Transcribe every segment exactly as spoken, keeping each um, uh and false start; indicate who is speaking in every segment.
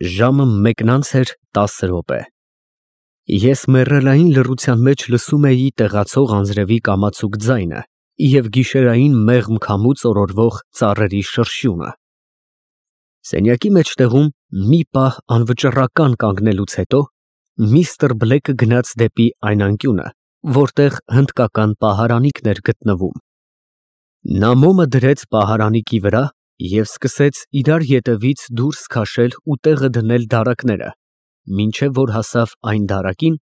Speaker 1: Ժամը մեկն անց էր տասը րոպե։ Ես մեռելային լռության մեջ լսում էի տեղացող անձրևի կամացուկ ձայնը և գիշերային մեղմ քամուց օրորվող ծառերի շրշյունը։ Սենյակի մեջտեղում մի պահ անվճռական կանգնելուց հետո միստր Բլեքը գնաց դեպի այն անկյունը, որտեղ հնդկական պահարանիքն էր գտնվում։ Նա մոմը դրեց պահարանիքի վրա և սկսեց իրար ետևից դուրս քաշել ու տեղը դնել դարակները, մինչև որ հասավ այն դարակին,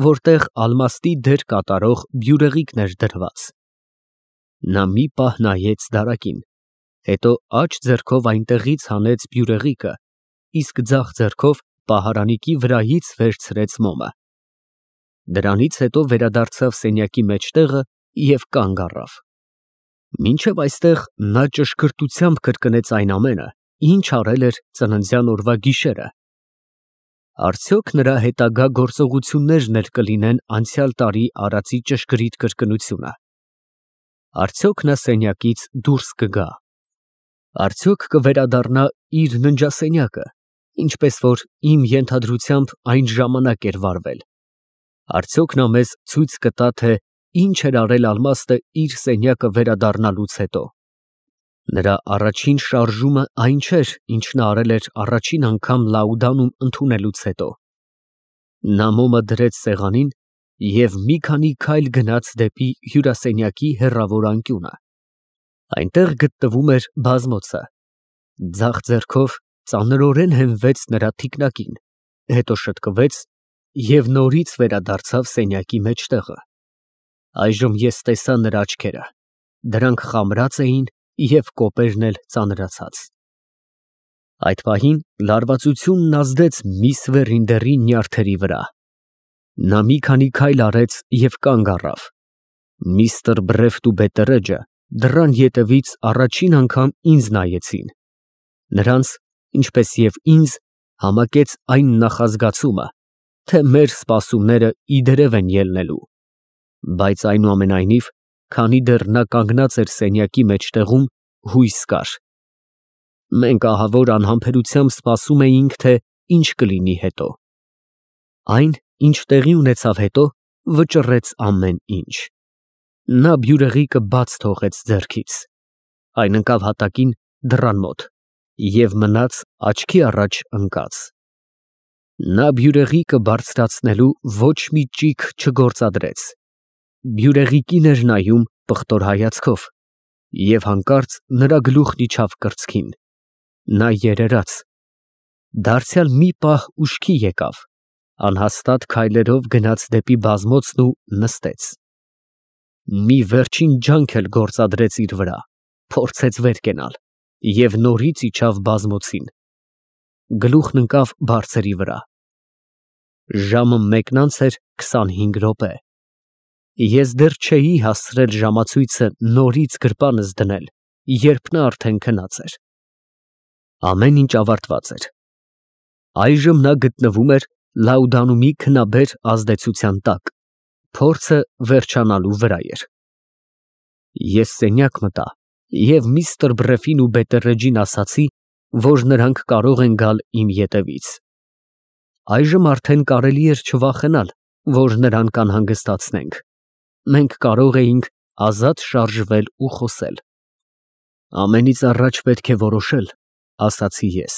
Speaker 1: որտեղ ալմաստի դեր կատարող բյուրեղիկն էր դրված։ Նա մի պահ նայեց դարակին, հետո աջ ձեռքով այնտեղից հանեց բյուրեղիկը, իսկ ձախ ձեռքով պահարանիքի վրայից վերցրեց մոմը։ Դրանից հետո վերադարձավ սենյակի մեջտեղը և կանգ առավ։ Մինչև այստեղ նա ճշգրտությամբ կրկնեց այն ամենը, ինչ արել էր ծննդյան օրվա գիշերը։ Արդյոք նրա հետագա գործողություններն էլ կլինեն անցյալ տարի արածի ճշգրիտ կրկնությունը։ Արդյոք նա սենյակից դուրս կգա։ Արդյոք կվերադառնա իր ննջասենյակը, ինչպես որ իմ ենթադրությամբ այն ժամանակ էր վարվել։ Արդյոք նա մեզ ցույց կտա, թե ինչ էր արել ալմաստը իր սենյակը վերադառնալուց հետո։ Նրա առաջին շարժումը այն չէր, ինչ նա արել էր առաջին անգամ Լաուդանում ընդունելուց հետո։ Նա մոմը դրեց սեղանին և մի քանի քայլ գնաց դեպի հյուրասենյակի հեռավոր անկյունը։ Այնտեղ գտնվում էր բազմոցը։ Ձախ ձեռքով ծանրորեն հենվեց նրա թիկնակին, հետո շտկվեց և նորից վերադարձավ սենյակի մեջտեղը։ Այժմ ես տեսա նրա աչքերը, դրանք խամրած էին և կոպերն էլ ծանրացած։ Այդ պահին լարվածությունն ազդեց միս Վերինդերի նյարդերի վրա։ Նա մի քանի քայլ արեց և կանգ առավ։ Միստր Բրեֆտ ու Բետտերեջը դռան ետևից առաջին անգամ ինձ նայեցին։ Նրանց, ինչպես և ինձ, համակեց այն նախազգացումը, թե մեր սպասումները իդերև են ելնելու։ Բայց այնուամենայնիվ, քանի դեռ նա կանգնած էր սենյակի մեջտեղում, հույս կար։ Մենք ահավոր անհամբերությամբ սպասում էինք, թե ինչ կլինի հետո։ Այն, ինչ տեղի ունեցավ հետո, վճռեց ամեն ինչ։ Նա բյուրեղիկը բաց թողեց ձեռքից, այն ընկավ հատակին դռան մոտ և մնաց աչքի առաջ ընկած։ Նա բյուրեղիկը բարձրացնելու ոչ մի ճիգ չգործադրեց, բյուրեղիկին էր նայում պղտոր հայացքով, և հանկարծ նրա գլուխն իջավ կրծքին, նա երերաց, դարձյալ մի պահ ուշքի եկավ, անհաստատ քայլերով գնաց դեպի բազմոցն ու նստեց։ Մի վերջին ջանք էլ գործադրեց իր վրա, փորձեց վեր կենալ և նորից իջավ բազմոցին, գլուխն ընկավ բարձրի վրա։ Ժամը մեկն անց էր քսանհինգ րոպե։ Ես դեռ չէի հասցրել ժամացույցը նորից գրպանս դնել, երբ նա արդեն քնած էր։ Ամեն ինչ ավարտված էր։ Այժմ նա գտնվում էր Լաուդանումի քնաբեր ազդեցության տակ, փորձը վերջանալու վրա էր։ Ես սենյակ մտա և միստր Բրեֆին ու Բետտերեջին ասացի, որ նրանք կարող են գալ իմ ետևից։ Այժմ արդեն կարելի էր չվախենալ, որ նրան կանհանգստացնենք։ Մենք կարող էինք ազատ շարժվել ու խոսել։ Ամենից առաջ պետք է որոշել, ասացի ես,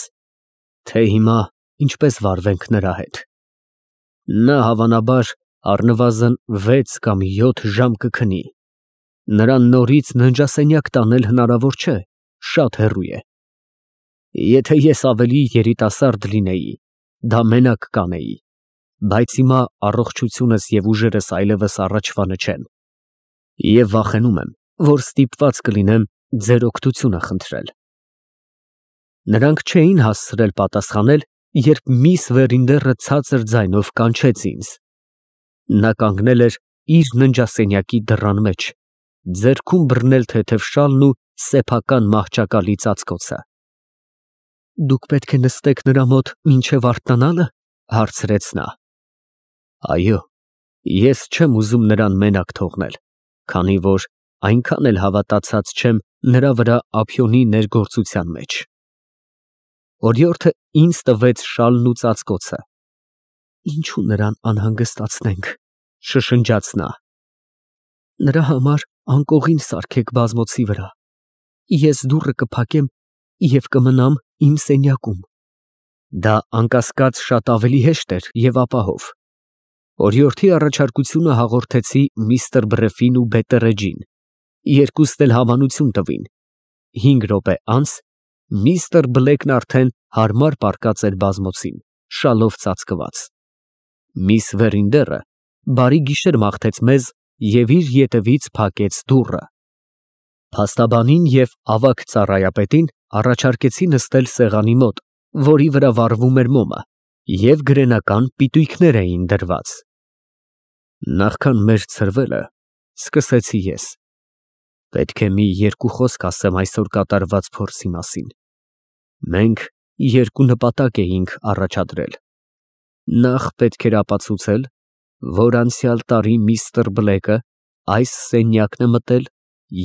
Speaker 1: թե հիմա ինչպես վարվենք նրա հետ։ Նա հավանաբար առնվազն վեց կամ յոթ ժամ կքնի։ Նրան նորից ննջասենյակ տանել հնարավոր չէ, շատ հեռու է։ Եթե ես ավելի երիտասարդ լինեի, դա մենակ կանեի, բայց հիմա առողջությունս և ուժերս այլևս առաջվանը չեն, և վախենում եմ, որ ստիպված կլինեմ ձեր օգնությունը խնդրել։ Նրանք չէին հասցրել պատասխանել, երբ միս Վերինդերը ցածր ձայնով կանչեց ինձ։ Նա կանգնել էր իր ննջասենյակի դռան մեջ, ձեռքում բռնել թեթև շալն ու սեփական մահճակալի ծածկոցը։ Դուք պետք է նստեք նրա մոտ մինչև արթնանալը, հարցրեց նա։ Այո, ես չեմ ուզում նրան մենակ թողնել, քանի որ այնքան էլ հավատացած չեմ նրա վրա ափիոնի ներգործության մեջ։ Օրիորդը ինձ տվեց շալն ու ծածկոցը։ Ինչու նրան անհանգստացնենք, շշնջաց նա։ Նրա համար անկողին սարքեք բազմոցի վրա, ես դուռը կփակեմ և կմնամ իմ սենյակում։ Դա անկասկած շատ ավելի հեշտ էր և ապահով։ Օրիորդի առաջարկությունը հաղորդեցի միստր Բրեֆին ու Բետտերեջին, երկուսն էլ հավանություն տվին։ Հինգ րոպե անց միստր Բլեքն արդեն հարմար պառկած էր բազմոցին, շալով ծածկված։ Միս Վերինդերը բարի գիշեր մաղթեց մեզ և իր ետևից փակեց դուռը։ Փաստաբանին և ավագ ծառայապետին առաջարկեցի նստել սեղանի մոտ, որի վրա վառվում էր մոմը, և գրենական պիտույքներ էին դրված։ Նախքան մեր ցրվելը, սկսեցի ես, պետք է մի երկու խոսք ասեմ այսօր կատարված փորձի մասին։ Մենք երկու նպատակ էինք առաջադրել. Նախ պետք էր ապացուցել, որ անցյալ տարի միստր Բլեքը այս սենյակն է մտել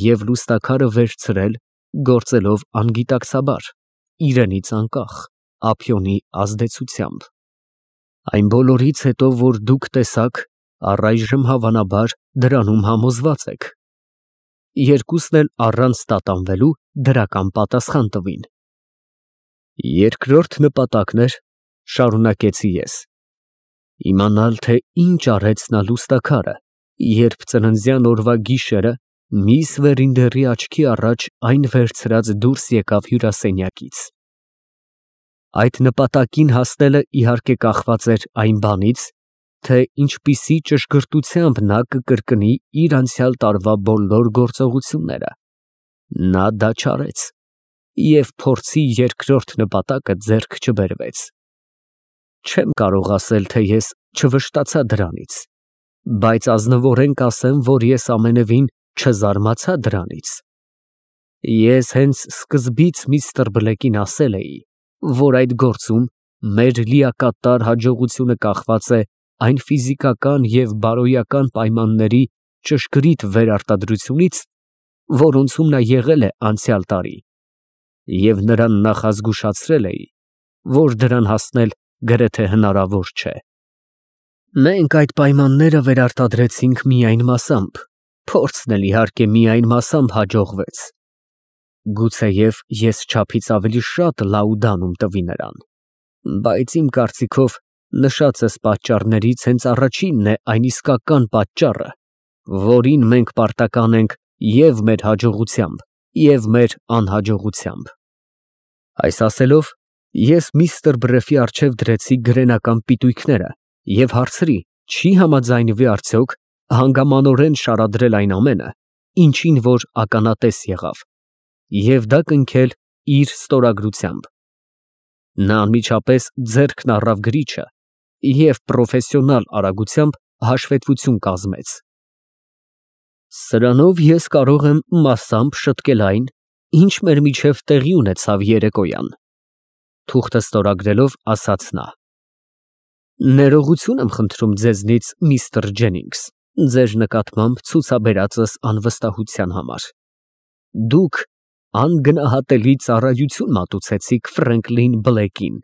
Speaker 1: և լուստաքարը վերցրել, գործելով անգիտակցաբար, իրենից անկախ, ափիոնի ազդեցությամբ։ Այն բոլորից հետո, որ դուք տեսաք, առայժմ հավանաբար դրանում համոզված եք։ Երկուսն էլ առանց տատանվելու դրական պատասխան տվին։ Երկրորդ նպատակն էր, շարունակեցի ես, իմանալ, թե ինչ արեց նա լուստաքարը, երբ ծննդյան օրվա գիշերը միս Վերինդերի աչքի առաջ այն վերցրած դուրս եկավ հյուրասենյակից։ Այդ նպատակին հասնելը իհարկե կախված էր այն բանից, թե ինչպիսի ճշգրտությամբ նա կկրկնի իր անցյալ տարվա բոլոր գործողությունները։ Նա դա չարեց, և փորձի երկրորդ նպատակը ձեռք չբերվեց։ Չեմ կարող ասել, թե ես չվշտացա դրանից, բայց ազնվորեն կասեմ, որ ես ամենևին չզարմացա դրանից։ Ես հենց սկզբից միստր Բլեկին ասել էի, որ այդ գործում մեր լիակատար հաջողությունը կախված է այն ֆիզիկական և բարոյական պայմանների ճշգրիտ վերարտադրությունից, որոնցում նա եղել է անցյալ տարի, և նրան նախազգուշացրել էի, որ դրան հասնել գրեթե հնարավոր չէ։ Մենք այդ պայմանները վերարտադրեցինք միայն մասամբ, փորձն էլ իհարկե միայն մասամբ հաջողվեց։ Գուցեև ես չափից ավելի շատ լաուդանում տվի նրան, բայց իմ կարծիքով նշածս պատճառներից հենց առաջինն է այն իսկական պատճառը, որին մենք պարտական ենք և մեր հաջողությամբ, և մեր անհաջողությամբ։ Այս ասելով, ես միստր Բրեֆի առջև դրեցի գրենական պիտույքները և հարցրի, չի համաձայնվի արդյոք հանգամանորեն շարադրել այն ամենը, ինչին որ ականատես եղավ, և դա կնքել իր ստորագրությամբ։ Նա անմիջապես ձեռքն առավ գրիչը և պրոֆեսիոնալ արագությամբ հաշվետվություն կազմեց։ Սրանով ես կարող եմ մասամբ շտկել այն, ինչ մեր միջև տեղի ունեցավ երեկոյան, թուղթը ստորագրելով ասաց նա։ Ներողություն եմ խնդրում ձեզնից, միստր Ջենինգս, ձեր նկատմամբ ցուցաբերածս անվստահության համար։ Դուք անգնահատելի ծառայություն մատուցեցիք Ֆրենկլին Բլեքին։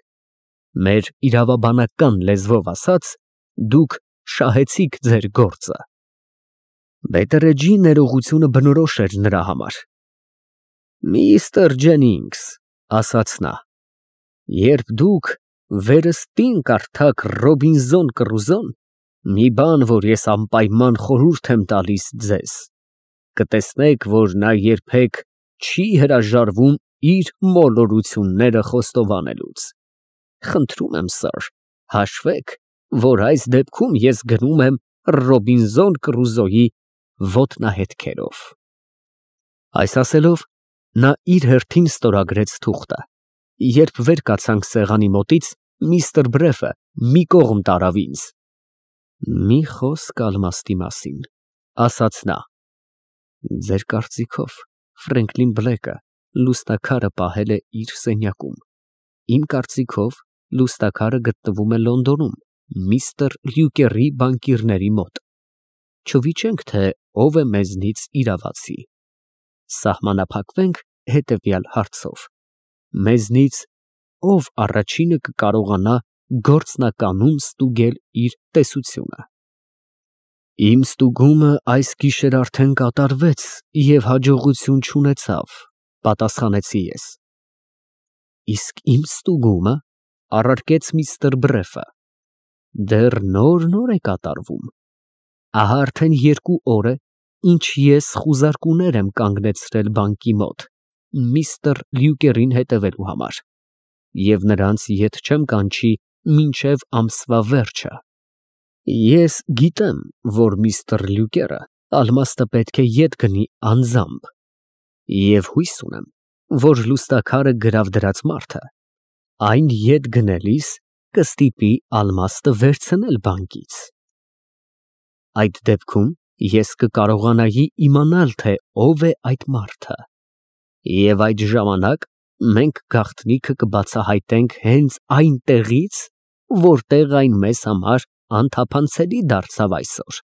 Speaker 1: Մեր իրավաբանական լեզվով ասած, դուք շահեցիք ձեր գործը։ Բետտերեջի ներողությունը բնորոշ էր նրա համար։ Միստր Ջենինգս, ասաց նա, երբ դուք վերստին կարդաք Ռոբինզոն Կռուզոն, մի բան, որ ես անպայման խորհուրդ եմ տալիս ձեզ, կտեսնեք, որ նա երբեք չի հրաժարվում իր մոլորությունները խոստովանելուց։ Խնդրում եմ, սըր, հաշվեք, որ այս դեպքում ես գնում եմ Ռոբինզոն Կռուզոյի ոտնահետքերով։ Այս ասելով, նա իր հերթին ստորագրեց թուղթը։ Երբ վեր կացանք սեղանի մոտից, միստր Բրեֆը մի կողմ տարավ ինձ։ Մի խոսք ալմաստի մասին, ասաց նա։ Ձեր կարծիքով Ֆրենկլին Բլեքը լուստաքարը պահել է իր սենյակում։ Իմ կարծիքով լուստաքարը գտնվում է Լոնդոնում, միստր Լյուկերի բանկիրների մոտ։ Չվիճենք, թե ով է մեզնից իրավացի։ Սահմանափակվենք հետևյալ հարցով. մեզնից ով առաջինը կկարողանա գործնականում ստուգել իր տեսությունը։ Իմ ստուգումը այս գիշեր արդեն կատարվեց և հաջողություն չունեցավ, պատասխանեցի ես։ Իսկ իմ ստուգումը, առարկեց միստր Բրեֆը, դեռ նոր֊նոր է կատարվում։ Ահա արդեն երկու օր է, ինչ ես խուզարկուներ եմ կանգնեցրել բանկի մոտ միստր Լյուկերին հետևելու համար, և նրանց ետ չեմ կանչի մինչև ամսվա վերջը։ Ես գիտեմ, որ միստր Լյուկերը ալմաստը պետք է ետ գնի անձամբ, և հույս ունեմ, որ լուստաքարը գրավ դրած մարդը այն ետ գնելիս կստիպի ալմաստը վերցնել բանկից։ Այդ դեպքում ես կկարողանայի իմանալ, թե ով է այդ մարդը, և այդ ժամանակ մենք գաղտնիքը կբացահայտենք հենց այնտեղից, որտեղ այն մեզ համար անթափանցելի դարձավ այսօր։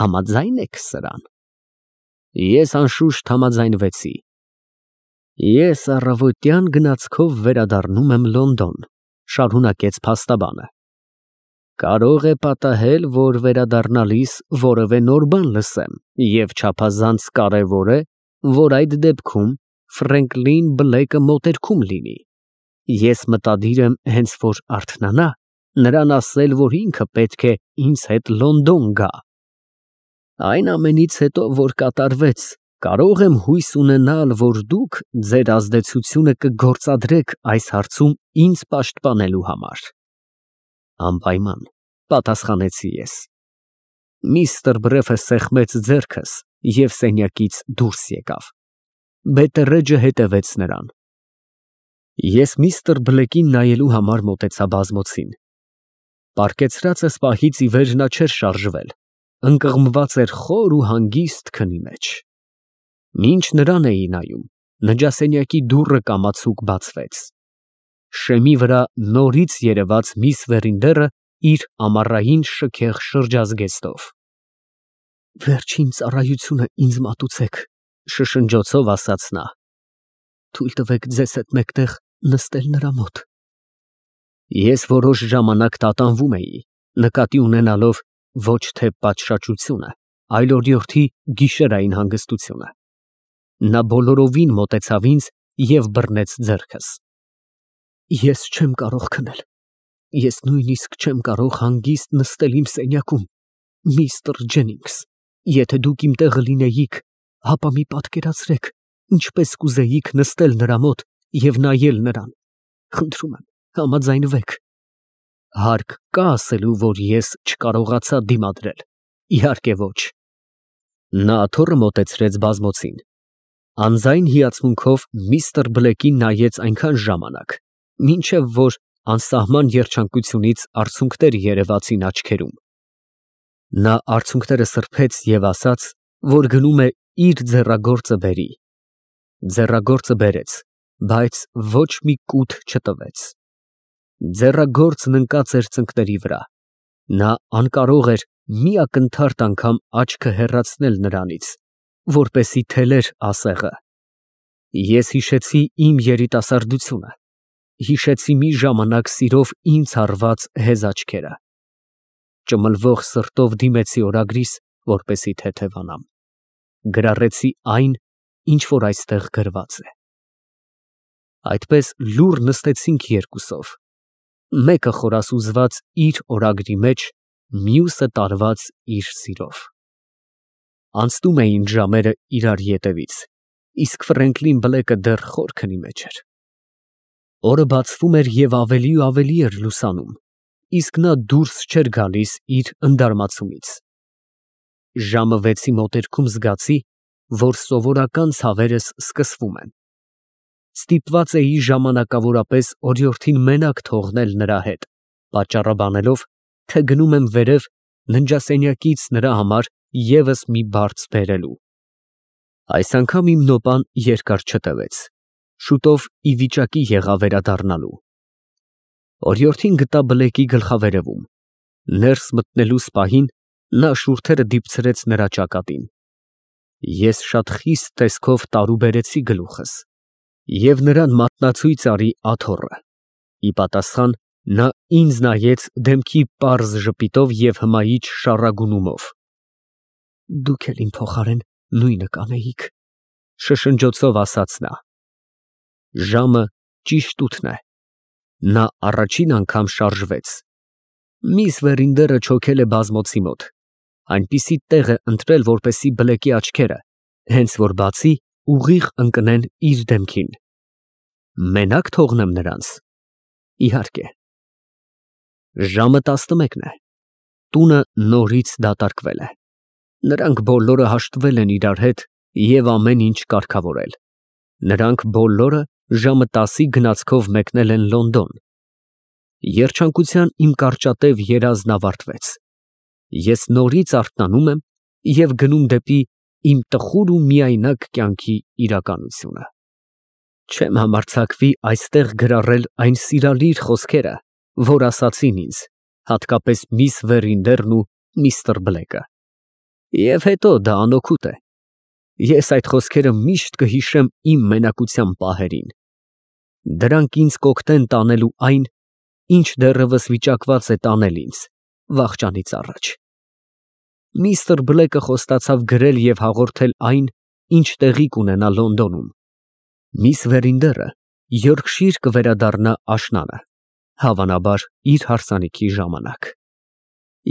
Speaker 1: Համաձա՞յն եք սրան։ Ես անշուշտ համաձայնվեցի։ Ես առավոտյան գնացքով վերադառնում եմ Լոնդոն, շարունակեց փաստաբանը։ Կարող է պատահել, որ վերադառնալիս որևէ նոր բան լսեմ, և չափազանց կարևոր է, որ այդ դեպքում Ֆրենկլին Բլեքը մոտերքում լինի։ Ես մտադիր եմ հենց որ արթնանա, նրան ասել, որ ինքը պետք է ինձ հետ Լոնդոն գա։ Այն ամենից հետո, որ կատարվեց, կարող եմ հույս ունենալ, որ դուք ձեր ազդեցությունը կգործադրեք այս հարցում ինձ պաշտպանելու համար։ Անպայման, պատասխանեցի ես։ Միստր Բրեֆը սեղմեց ձեռքս և սենյակից դուրս եկավ։ Բետերեջը հետևեց նրան։ Ես միստր Բլեկին նայելու համար մոտեցա բազմոցին։ Պառկեցրածս պահից ի վեր նա չէր շարժվել, ընկղմված էր խոր ու հանգիստ քնի մեջ։ Մինչ նրան էի նայում, նջասենյակի դուռը կամացուկ բացվեց։ Շեմի վրա նորից երևաց միս Վերինդերը իր ամառային շքեղ շրջազգեստով։ Վերջին ծառայությունը ինձ մատուցեք, շշնջոցով ասաց նա։ Թույլ տվեք ձեզ հետ մեկտեղ նստել նրա մոտ։ Ես որոշ ժամանակ տատանվում էի, նկատի ունենալով ոչ թե պատշաճությունը, այլ օրիորդի գիշերային հանգստությունը։ Նա բոլորովին մոտեցավ ինձ և բռնեց ձեռքս։ Ես չեմ կարող քնել։ Ես նույնիսկ չեմ կարող հանգիստ նստել իմ սենյակում, միստր Ջենինգս, եթե դուք իմ տեղը լինեիք, ապա մի պատկերացրեք, ինչպես կուզեիք նստել նրա մոտ և նայել նրան։ Խնդրում եմ, համաձայնվեք։ Հարկ կա ասելու, որ ես չկարողացա դիմադրել։ Իհարկե ոչ։ Նա աթոռը մոտեցրեց բազմոցին։ Անձայն հիացմունքով միստր Բլեկին նայեց այնքան ժամանակ, մինչև որ անսահման երջանկությունից արցունքներ երևացին աչքերում։ Նա արցունքները սրբեց և ասաց, որ գնում է իր ձեռագործը բերի։ Ձեռագործը բերեց, բայց ոչ մի կութ չտվեց։ Ձեռագործն ընկած էր ծնկների վրա։ Նա անկարող էր մի ակնթարթ անգամ աչքը հեռացնել նրանից, որպեսզի թելեր ասեղը։ Ես հիշեցի իմ երիտասարդությունը, հիշեցի մի ժամանակ սիրով ինձ հարված հեզ աչքերը։ Ճմլվող սրտով դիմեցի օրագրիս, որպեսզի թեթևանամ։ Գրառեցի այն, ինչ որ այստեղ գրված է։ Այդպես լուռ նստեցինք երկուսով, մեկը խորասուզված իր օրագրի մեջ, մյուսը տարված իր սիրով։ Անցնում էին ժամերը իրար ետևից, իսկ Ֆրենկլին Բլեքը դեռ խոր քնի մեջ էր։ Օրը բացվում էր և ավելի ու ավելի էր լուսանում, իսկ նա դուրս չէր գալիս իր ընդարմացումից։ Ժամը վեցի մոտերքում զգացի, որ սովորական ցավերս սկսվում են։ Ստիպված էի ժամանակավորապես օրիորդին մենակ թողնել նրա հետ, պատճառաբանելով, թե գնում եմ վերև ննջասենյակից նրա համար ևս մի բարձ բերելու։ Այս անգամ իմ նոպան երկար չտևեց, շուտով ի վիճակի եղա վերադառնալու։ Օրիորդին գտա Բլեկի գլխավերևում։ Ներս մտնելուս պահին նա շուրթերը դիպցրեց նրա ճակատին։ Ես շատ խիստ տեսքով տարուբերեցի գլուխս և նրան մատնացույց արի աթոռը։ Ի պատասխան նա ինձ նայեց դեմքի պարզ ժպիտով և հմայիչ շառագունումով։ Դուք էլ իմ փոխարեն նույնը կանեիք, շշնջոցով ասաց նա։ Ժամը ճիշտ ութն է։ Նա առաջին անգամ շարժվեց։ Միս Վերինդերը չոքել է բազմոցի մոտ, այնպիսի տեղ է ընտրել, որպեսզի բլեկի աչքերը, հենց որ բացի, ուղիղ ընկնեն իր դեմքին։ Մենա՞կ թողնեմ նրանց։ Իհարկե։ Ժամը տասնմեկն է։ Տունը նորից դատարկվել է։ Նրանք բոլորը հաշտվել են իրար հետ և ամեն ինչ կարգավորել։ Նրանք բոլորը ժամը տասի գնացքով մեկնել են Լոնդոն։ Երջանկության իմ կարճատև երազն ավարտվեց։ Ես նորից արթնանում եմ և գնում դեպի իմ տխուր ու միայնակ կյանքի իրականությունը։ Չեմ համարձակվի այստեղ գրառել այն սիրալիր խոսքերը, որ ասացին ինձ, հատկապես միս Վերինդերն ու միստր Բլեկը։ Եվ հետո դա անօգուտ է։ Ես այդ խոսքերը միշտ կհիշեմ իմ մենակության պահերին։ Դրանք ինձ կօգնեն տանելու այն, ինչ դեռևս վիճակված է տանել ինձ վախճանից առաջ։ Միստր Բլեկը խոստացավ գրել և հաղորդել այն, ինչ տեղի կունենա Լոնդոնում։ Միս Վերինդերը Յորքշիր կվերադառնա աշնանը, հավանաբար իր հարսանիքի ժամանակ։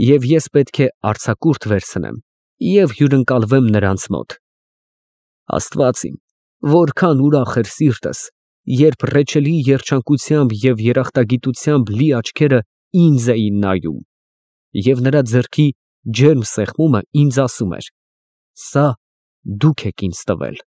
Speaker 1: Եվ ես պետք է արձակուրդ վերցնեմ և հյուրընկալվեմ նրանց մոտ։ Աստված իմ, որքան ուրախ էր սիրտս, երբ ռեչելի երջանկությամբ և երախտագիտությամբ լի աչքերը ինձ էին նայում, և նրա ձեռքի ջերմ սեղմումը ինձ ասում էր. «Սա դուք եք ինձ տվել»։